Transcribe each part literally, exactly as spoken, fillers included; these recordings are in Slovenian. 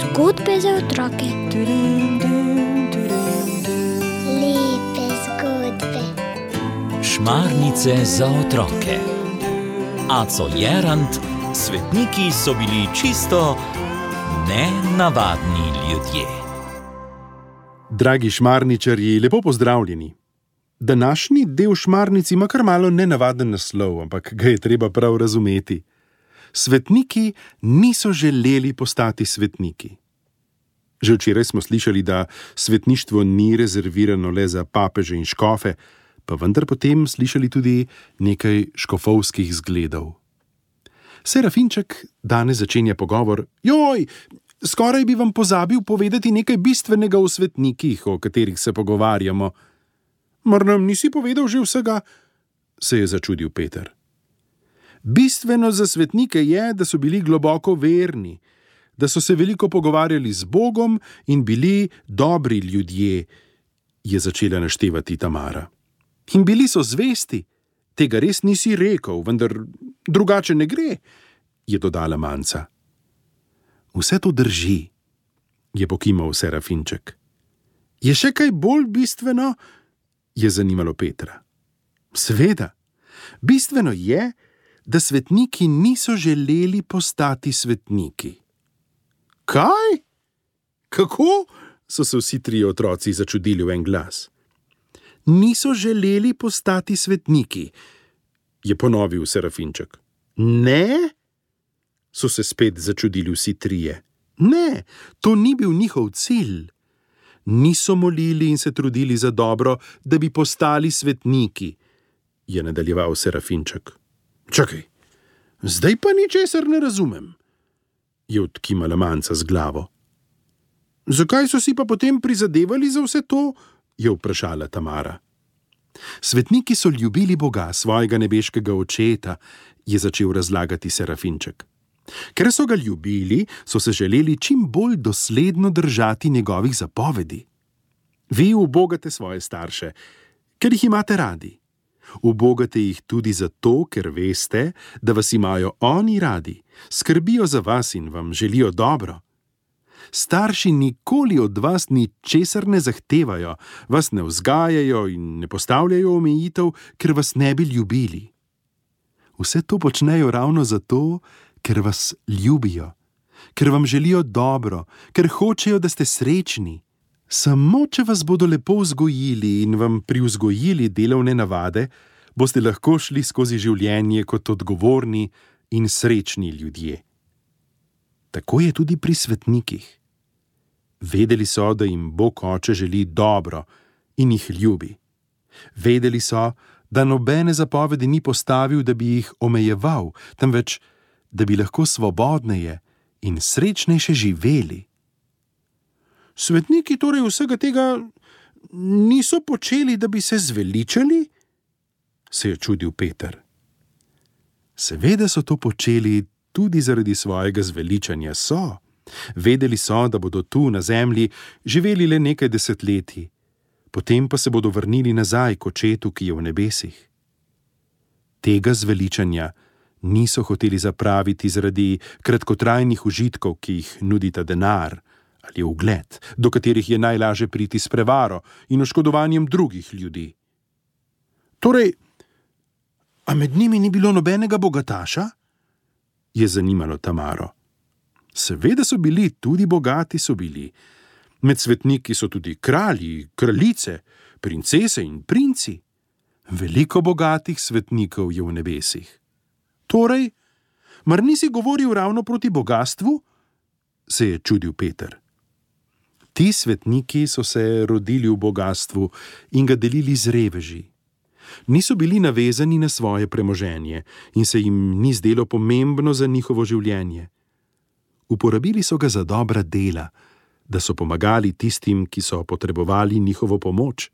Zgodbe za otroke. Lepe zgodbe. Šmarnice za otroke. Aco Jerant, svetniki so bili čisto nenavadni ljudje. Dragi šmarničarji, lepo pozdravljeni. Današnji del šmarnic ima kar malo nenavaden naslov, ampak ga je treba prav razumeti. Svetniki niso želeli postati svetniki. Že včeraj smo slišali, da svetništvo ni rezervirano le za papeže in škofe, pa vendar potem slišali tudi nekaj škofovskih zgledov. Serafinček danes začenja pogovor: Joj, skoraj bi vam pozabil povedati nekaj bistvenega o svetnikih, o katerih se pogovarjamo. Mar nam nisi povedal že vsega? Se je začudil Peter. Bistveno za svetnike je, da so bili globoko verni, da so se veliko pogovarjali z Bogom in bili dobri ljudje, je začela naštevati Tamara. In bili so zvesti. Tega res nisi rekel, vendar drugače ne gre, je dodala Manca. Vse to drži, je pokimal Serafinček. Je še kaj bolj bistveno? Je zanimalo Petra. Seveda, bistveno je, da svetniki niso želeli postati svetniki. Kaj? Kako? So se vsi trije otroci začudili v en glas. Niso želeli postati svetniki, je ponovil Serafinček. Ne? So se spet začudili vsi trije. Ne, to ni bil njihov cilj. Niso molili in se trudili za dobro, da bi postali svetniki, je nadaljeval Serafinček. Čakaj, zdaj pa ničesar ne razumem, je odkimala Manca z glavo. Zakaj so si pa potem prizadevali za vse to? Je vprašala Tamara. Svetniki so ljubili Boga, svojega nebeškega očeta, je začel razlagati Serafinček. Ker so ga ljubili, so se želeli čim bolj dosledno držati njegovih zapovedi. Vi ubogate svoje starše, ker jih imate radi. Ubogate jih tudi zato, ker veste, da vas imajo oni radi, skrbijo za vas in vam želijo dobro. Starši nikoli od vas ničesar ne zahtevajo, vas ne vzgajajo in ne postavljajo omejitev, ker vas ne bi ljubili. Vse to počnejo ravno zato, ker vas ljubijo, ker vam želijo dobro, ker hočejo, da ste srečni. Samo, če vas bodo lepo vzgojili in vam privzgojili delovne navade, boste lahko šli skozi življenje kot odgovorni in srečni ljudje. Tako je tudi pri svetnikih. Vedeli so, da jim Bog Oče želi dobro in jih ljubi. Vedeli so, da nobene zapovedi ni postavil, da bi jih omejeval, temveč da bi lahko svobodneje in srečnejše živeli. Svetniki torej vsega tega niso počeli, da bi se zveličali? Se je čudil Peter. Seveda so to počeli tudi zaradi svojega zveličanja so. Vedeli so, da bodo tu na zemlji živeli le nekaj desetletij, potem pa se bodo vrnili nazaj k Očetu, ki je v nebesih. Tega zveličanja niso hoteli zapraviti zaradi kratkotrajnih užitkov, ki jih nudita denar ali ugled, do katerih je najlažje priti s prevaro in oškodovanjem drugih ljudi. Torej, a med njimi ni bilo nobenega bogataša? Je zanimalo Tamaro. Seveda so bili, tudi bogati so bili. Med svetniki so tudi kralji, kraljice, princese in princi. Veliko bogatih svetnikov je v nebesih. Torej, mar nisi govoril ravno proti bogastvu? Se je čudil Peter. Ti svetniki so se rodili v bogastvu in ga delili z reveži. Niso bili navezani na svoje premoženje in se jim ni zdelo pomembno za njihovo življenje. Uporabili so ga za dobra dela, da so pomagali tistim, ki so potrebovali njihovo pomoč,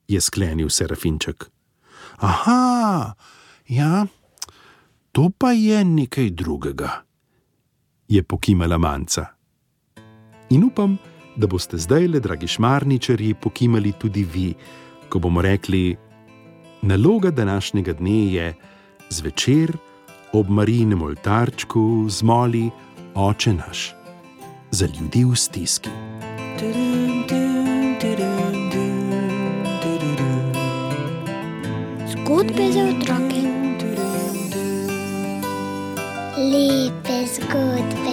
je sklenil Serafinček. Aha, ja, to pa je nekaj drugega, je pokimala Manca. In upam, da boste zdajle, dragi šmarničarji, pokimali tudi vi, ko bomo rekli: naloga današnjega dne je zvečer ob Marijinem oltarčku zmoli Oče naš, za ljudi v stiski. Zgodbe za otroke. Lepe zgodbe.